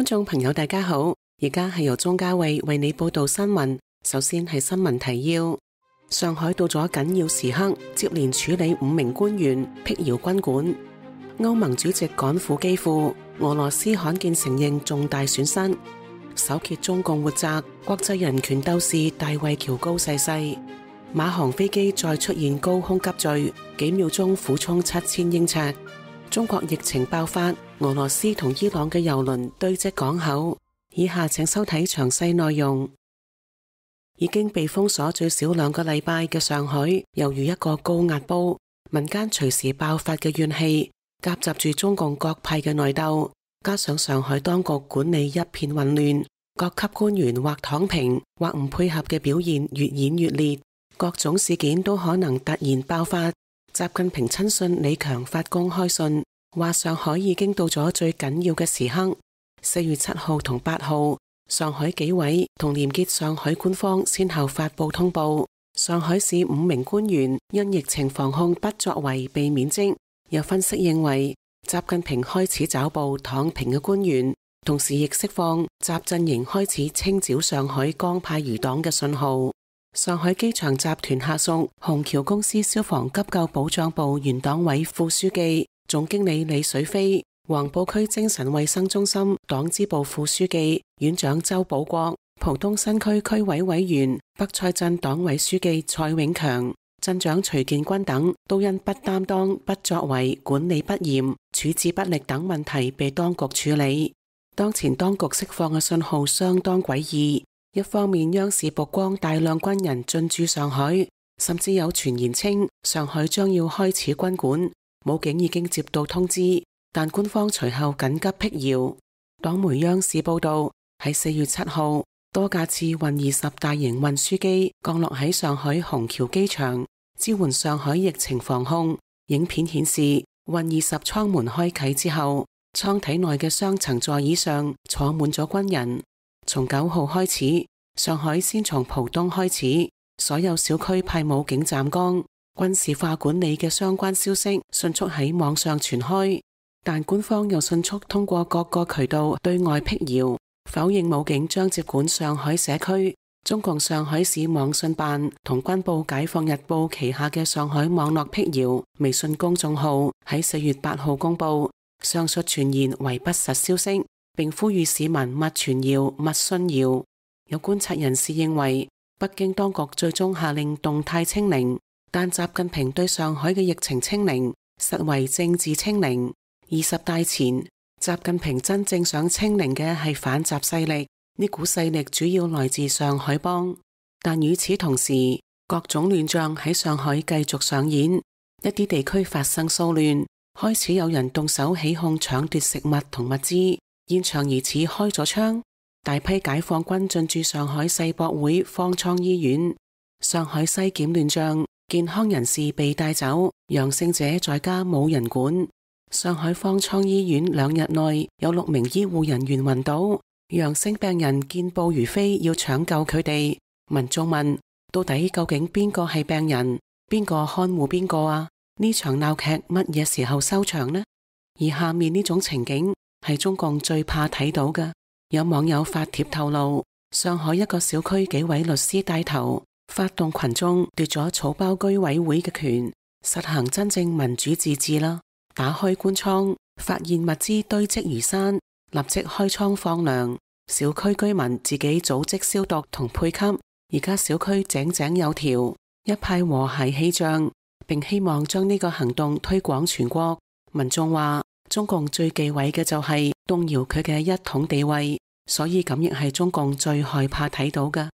觀眾朋友大家好，而家係由鍾嘉慧為你報道新聞。首先係新聞提要：上海到咗緊要時刻，接連處理5名官員辟謠軍管。歐盟主席趕赴基輔，俄羅斯罕見承認重大損失。首揭中共活摘，國際人權鬥士大衛喬高逝世。馬航飛機再出現高空急墜，幾秒鐘俯衝7000英尺。中國疫情爆發，俄羅斯同伊朗嘅郵輪堆積港口。以下請收睇詳細內容。已經被封鎖最少2個禮拜嘅上海，猶如一個高壓煲，民間隨時爆發嘅怨氣，夾雜住中共各派嘅內鬥，加上上海當局管理一片混亂，各級官員或躺平或唔配合嘅表現越演越烈，各種事件都可能突然爆發。習近平親信李強發公開信，話上海已經到咗最緊要嘅時刻。4月7號同8號，上海紀委同廉潔上海官方先後發布通報，上海市5名官員因疫情防控不作為被免職。有分析認為，習近平開始抓捕躺平嘅官員，同時亦釋放習陣營開始清剿上海江派餘黨嘅信號。上海機場集團下屬虹橋公司消防急救保障部原黨委副書記、總經理李水飛，黃埔區精神衛生中心黨支部副書記、院長周保國，浦東新區區委委員、北蔡鎮黨委書記蔡永強、鎮長徐建軍等，都因不擔當、不作為、管理不嚴、處置不力等問題被當局處理。當前當局釋放嘅信號相當詭異。一方面，央視曝光大量軍人進駐上海，甚至有傳言稱上海將要開始軍管，武警已經接到通知，但官方隨後緊急辟謠。黨媒央視報道，喺4月7號，多架次運20大型運輸機降落喺上海虹橋機場，支援上海疫情防控。影片顯示，運20艙門開啟之後，艙體內嘅雙層座椅上坐滿咗軍人。從9號開始，上海先從浦東開始，所有小區派武警站崗，軍事化管理嘅相關消息迅速喺網上傳開，但官方又迅速通過各個渠道對外辟謠，否認武警將接管上海社區。中共上海市網信辦同軍報解放日報旗下嘅上海網絡辟謠微信公眾號喺4月8號公布，上述傳言為不實消息，並呼籲市民勿傳謠、勿信謠。有觀察人士認為，北京當局最終下令動態清零，但習近平對上海嘅疫情清零實為政治清零。20大前，習近平真正想清零嘅係反習勢力，呢股勢力主要來自上海幫。但與此同時，各種亂象喺上海繼續上演，一啲地區發生騷亂，開始有人動手起哄搶奪食物同物資。現場疑似開咗槍，大批解放軍進駐上海世博會方艙醫院。上海西檢亂象，健康人士被帶走，陽性者在家冇人管。上海方艙醫院2日內有6名醫護人員暈倒，陽性病人健步如飛，要搶救佢哋。民眾問：到底究竟邊個係病人，邊個看護邊個啊？呢場鬧劇乜嘢時候收場呢？而下面呢種情景係中共最怕睇到嘅。有網友發帖透露，上海一個小區幾位律師帶頭，發動群眾奪咗草包居委會嘅權，實行真正民主自治啦。打開官倉，發現物資堆積如山，立即開倉放糧。小區居民自己組織消毒同配給，而家小區井井有條，一派和諧氣象，並希望將呢個行動推廣全國。民眾話，中共最忌諱嘅就係動搖佢嘅一統地位，所以咁亦係中共最害怕睇到嘅。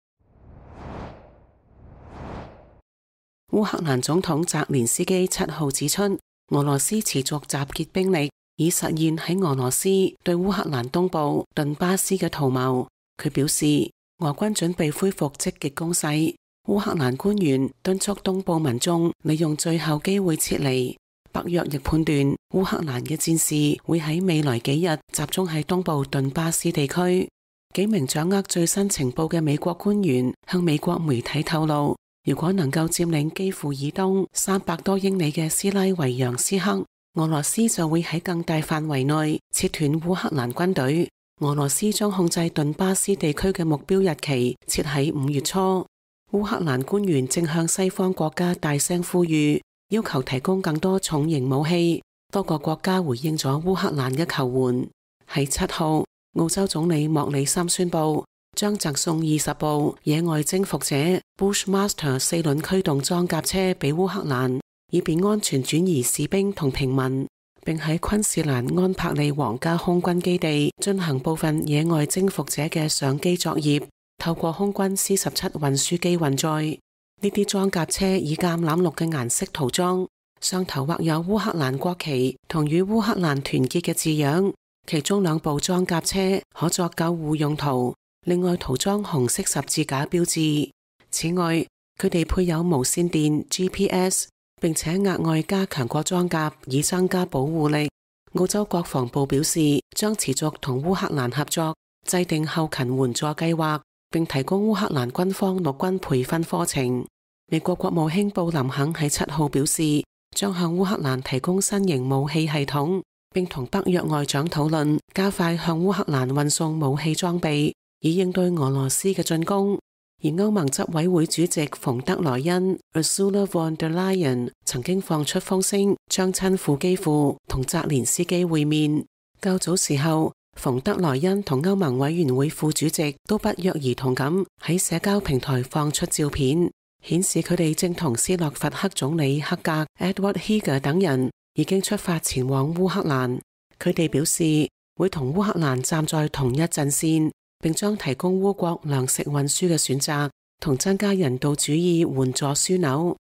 烏克蘭總統澤連斯基7號指出，俄羅斯持續集結兵力，以實現喺俄羅斯對烏克蘭東部頓巴斯嘅圖謀。佢表示，俄軍準備恢復積極攻勢。烏克蘭官員敦促東部民眾利用最後機會撤離。北約亦判斷烏克蘭嘅戰士會喺未來幾日集中喺東部頓巴斯地區。幾名掌握最新情報嘅美國官員向美國媒體透露，如果能夠佔領基輔以東300多英里嘅斯拉維揚斯克，俄羅斯就會喺更大範圍內切斷烏克蘭軍隊。俄羅斯將控制頓巴斯地區嘅目標日期設喺5月初。烏克蘭官員正向西方國家大聲呼籲，要求提供更多重型武器。多個國家回應咗烏克蘭嘅求援。喺7號，澳洲總理莫里森宣布將贈送20部野外征服者 Bushmaster 4輪驅動裝甲車俾烏克蘭，以便安全轉移士兵同平民，並喺昆士蘭安柏利皇家空軍基地進行部分野外征服者嘅上機作業，透過空軍 C-17 運輸機運載。呢啲裝甲車以橄欖綠嘅顏色塗裝，上頭畫有烏克蘭國旗同與烏克蘭團結嘅字樣。其中2部裝甲車可作救護用途，另外塗裝紅色十字架標誌。此外，佢哋配有無線電 GPS， 並且額外加強過裝甲以增加保護力。澳洲國防部表示，將持續同烏克蘭合作，制定後勤援助計劃，並提供烏克蘭軍方陸軍培訓課程。美國國務卿布林肯喺7號表示，將向烏克蘭提供新型武器系統，並同北約外長討論加快向烏克蘭運送武器裝備，以應對俄羅斯嘅進攻。而歐盟執委會主席馮德萊恩 Ursula von der Leyen 曾經放出風聲，將親赴基輔同澤連斯基會面。較早時候，馮德萊恩同歐盟委員會副主席都不約而同咁喺社交平台放出照片，顯示佢哋正同斯洛伐克總理克格 Edward Heger 等人已經出發前往烏克蘭。佢哋表示會同烏克蘭站在同一陣線，並將提供烏國糧食運輸嘅選擇，同增加人道主義援助樞紐。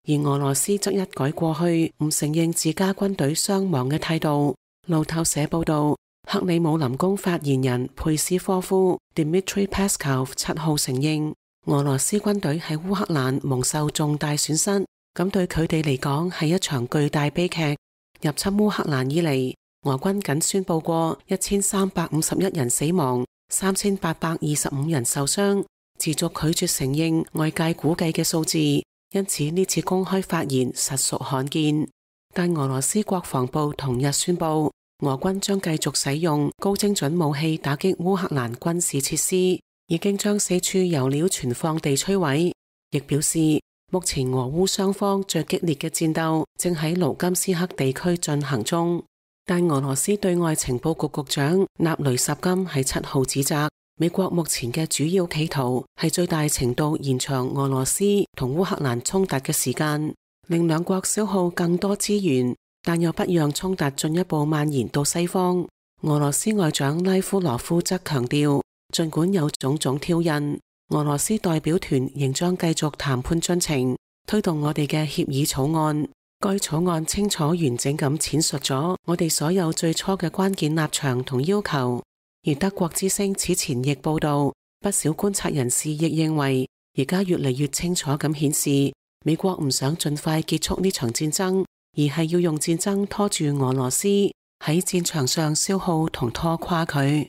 而俄羅斯則一改過去唔承認自家軍隊傷亡嘅態度。路透社報道，克里姆林宮發言人佩斯科夫 Dmitry Peskov 7號承認，俄羅斯軍隊喺烏克蘭蒙受重大損失，咁對佢哋嚟講係一場巨大悲劇。入侵烏克蘭以嚟，俄軍僅宣布過1351人死亡，3825人受傷，持續拒絕承認外界估計嘅數字，因此呢次公開發言實屬罕見。但俄羅斯國防部同日宣布，俄軍將繼續使用高精準武器打擊烏克蘭軍事設施，已經將4處油料存放地摧毀，亦表示目前俄烏雙方最激烈嘅戰鬥正喺盧甘斯克地區進行中。但俄羅斯對外情報局局長納雷什金喺7號指責，美國目前嘅主要企圖係最大程度延長俄羅斯同烏克蘭衝突嘅時間，令兩國消耗更多資源，但又不讓衝突進一步蔓延到西方。俄羅斯外長拉夫羅夫則強調，儘管有種種挑釁，俄羅斯代表團仍將繼續談判進程，推動我哋嘅協議草案。該草案清楚完整咁闡述咗我哋所有最初嘅關鍵立場同要求。而德國之聲此前亦報道，不少觀察人士亦認為，而家越嚟越清楚咁顯示，美國唔想盡快結束呢場戰爭，而係要用戰爭拖住俄羅斯喺戰場上消耗同拖垮佢。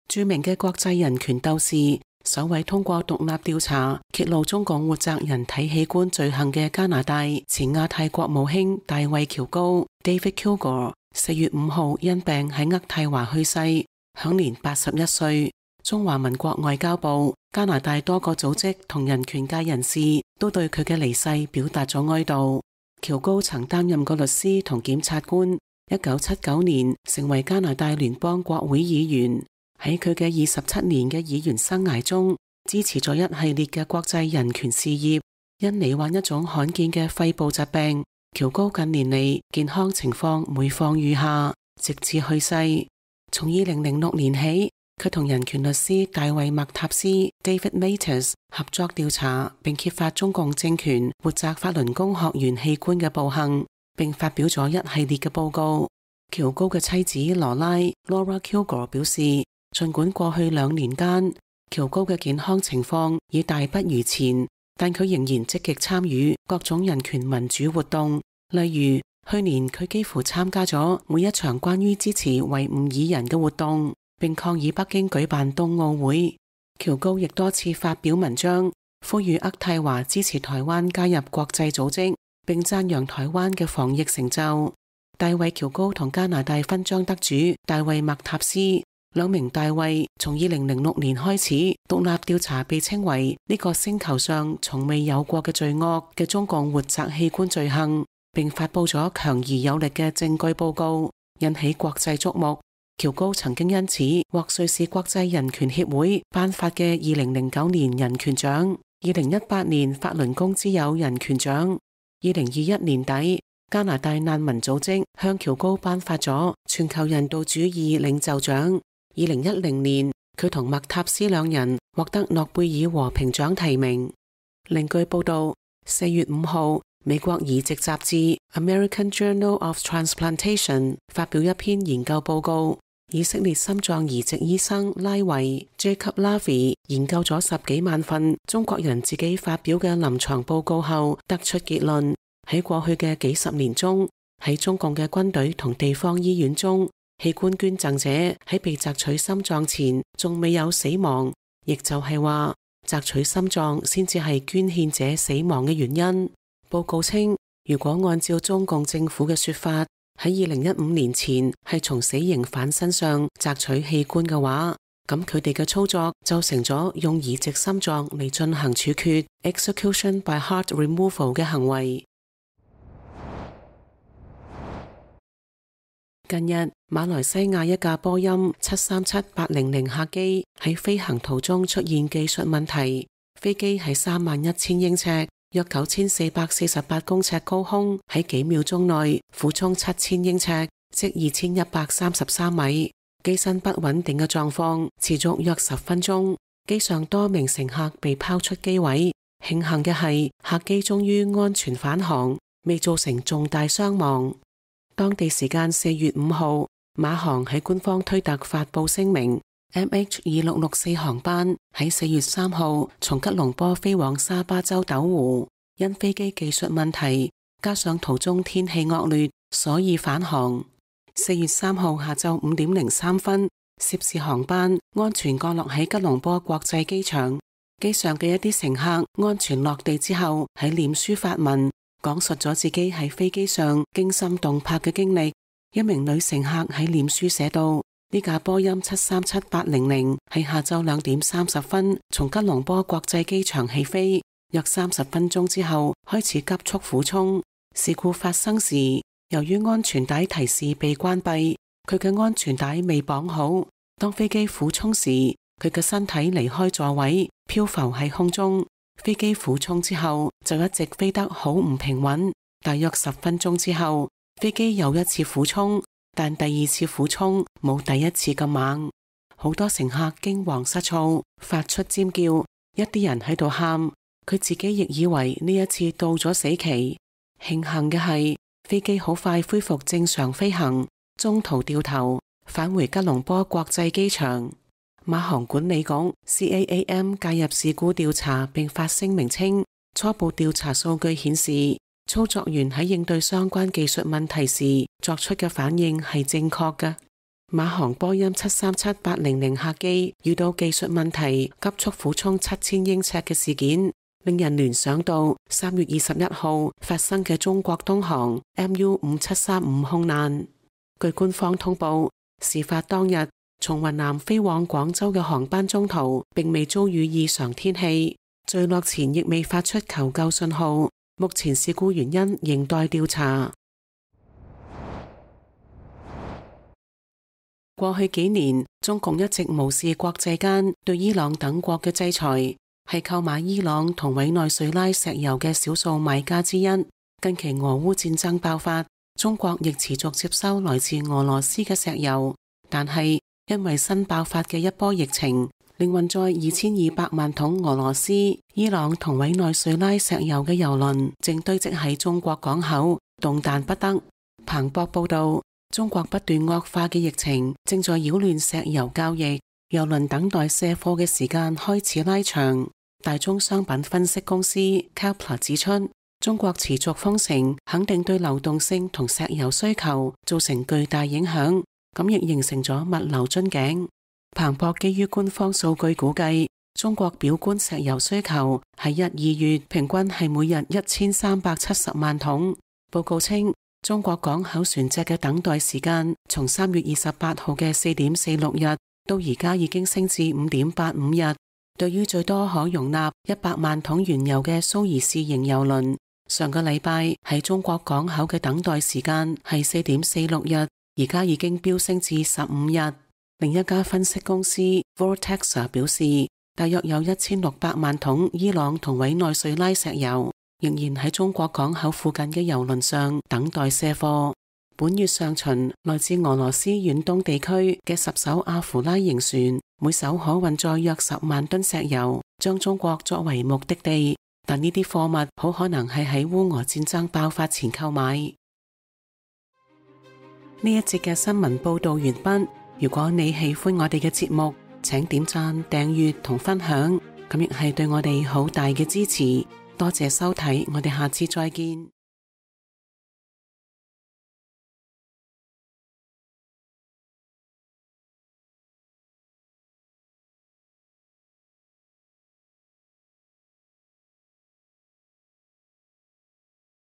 著名嘅國際人權鬥士，首位通過獨立調查揭露中共活摘人體器官罪行嘅加拿大前亞太國務卿大衛喬高 David Kilgour 4月5號因病喺渥太華去世，享年81歲。中華民國外交部、加拿大多個組織同人權界人士都對佢嘅離世表達咗哀悼。喬高曾擔任過律師同檢察官，1979年成為加拿大聯邦國會議員。喺佢嘅27年嘅議員生涯中，支持咗一系列嘅國際人權事業。因罹患一種罕見嘅肺部疾病，喬高近年嚟健康情況每況愈下，直至去世。從2006年起，佢同人權律師大衛麥塔斯 David Matas 合作調查並揭發中共政權活摘法輪功學員器官嘅暴行，並發表咗一系列嘅報告。喬高嘅妻子羅拉 Laura Kilgour 表示，儘管過去2年間，喬高嘅健康情況已大不如前，但佢仍然積極參與各種人權民主活動。例如，去年佢幾乎參加咗每一場關於支持維吾爾人嘅活動，並抗議北京舉辦冬奧會。喬高亦多次發表文章，呼籲渥太華支持台灣加入國際組織，並讚揚台灣嘅防疫成就。大衛喬高同加拿大勳章得主大衛麥塔斯。兩名大衛從2006年開始獨立調查被稱為呢個星球上從未有過嘅罪惡嘅中共活摘器官罪行，並發佈咗強而有力嘅證據報告，引起國際矚目。喬高曾經因此獲瑞士國際人權協會頒發嘅2009年人權獎、2018年法輪功之友人權獎。2021年底，加拿大難民組織向喬高頒發咗全球人道主義領袖獎。2010年，佢同麥塔斯兩人獲得諾貝爾和平獎提名。另據報道，4月5號，美國移植雜誌 American Journal of Transplantation 發表一篇研究報告，以色列心臟移植醫生拉維 Jacob Lavie 研究咗10幾萬份中國人自己發表嘅臨床報告後，得出結論，喺過去嘅幾十年中，喺中共嘅軍隊同地方醫院中，器官捐贈者喺被摘取心臟前仲未有死亡，亦就係話摘取心臟先至係捐獻者死亡嘅原因。報告稱，如果按照中共政府嘅說法，喺2015年前係從死刑犯身上摘取器官嘅話，咁佢哋嘅操作就成咗用移植心臟嚟進行處決 execution by heart removal 嘅行為。近日，馬來西亞一架波音737-800客機喺飛行途中出現技術問題，飛機喺31,000英尺，約9448公尺高空，喺幾秒鐘內俯衝7000英尺，即2133米。機身不穩定嘅狀況持續約10分鐘，機上多名乘客被拋出機位。慶幸嘅係，客機終於安全返航，未造成重大傷亡。當地時間4月5號，馬航喺官方推特發佈聲明 ，MH2664 航班喺4月3號從吉隆坡飛往沙巴州斗湖，因飛機技術問題加上途中天氣惡劣，所以返航。4月3號下晝5點03分，涉事航班安全降落喺吉隆坡國際機場，機上嘅一啲乘客安全落地之後喺臉書發文，講述咗自己喺飛機上驚心動魄嘅經歷。一名女乘客喺臉書寫道：呢架波音737-800係下晝2點30分從吉隆坡國際機場起飛，約30分鐘之後開始急速俯衝。事故發生時，由於安全帶提示被關閉，佢嘅安全帶未綁好。當飛機俯衝時，佢嘅身體離開座位，漂浮喺空中。飛機俯衝之後就一直飛得好唔平穩，大約10分鐘之後，飛機又一次俯衝，但第二次俯衝冇第一次咁猛。好多乘客驚惶失措，發出尖叫，一啲人喺度喊，佢自己亦以為呢一次到咗死期。慶幸嘅係，飛機好快恢復正常飛行，中途掉頭返回吉隆坡國際機場。馬航管理局 CAAM 介入事故調查，並發聲明稱，初步調查數據顯示，操作員喺應對相關技術問題時作出嘅反應係正確嘅。馬航波音737-800客機遇到技術問題，急速俯衝7000英尺嘅事件，令人聯想到3月21號發生嘅中國東航 MU5735空難。據官方通報，事發當日，從雲南飛往廣州嘅航班中途並未遭遇異常天氣，墜落前亦未發出求救信號。目前事故原因仍待調查。過去幾年，中共一直無視國際間對伊朗等國嘅制裁，係購買伊朗同委內瑞拉石油嘅少數買家之一。近期俄烏戰爭爆發，中國亦持續接收來自俄羅斯嘅石油，但係因為新爆發嘅一波疫情，令運載2200萬桶俄羅斯、伊朗同委內瑞拉石油嘅油輪正堆積喺中國港口，動彈不得。彭博報道，中國不斷惡化嘅疫情正在擾亂石油交易，油輪等待卸貨嘅時間開始拉長。大宗商品分析公司 Kepler 指出，中國持續封城肯定對流動性同石油需求造成巨大影響，咁亦形成咗物流樽頸。彭博基於官方數據估計，中國表觀石油需求喺1、2月平均係每日1370萬桶。報告稱，中國港口船隻嘅等待時間從3月28號嘅4.46日到而家已經升至5.85日。對於最多可容納100萬桶原油嘅蘇伊士型油輪，上個禮拜喺中國港口嘅等待時間係4.46日，而家已經飆升至15日。另一家分析公司 Vortexa 表示，大約有1600萬桶伊朗同委內瑞拉石油仍然喺中國港口附近嘅油輪上等待卸貨。本月上旬，來自俄羅斯遠東地區嘅10艘阿芙拉型船，每艘可運載約10萬噸石油，將中國作為目的地。但呢啲貨物好可能係喺烏俄戰爭爆發前購買。呢一節嘅新聞報道完畢。如果你喜歡我哋嘅節目，請點讚、訂閱同分享，咁亦係對我哋好大嘅支持。多謝收睇，我哋下次再見。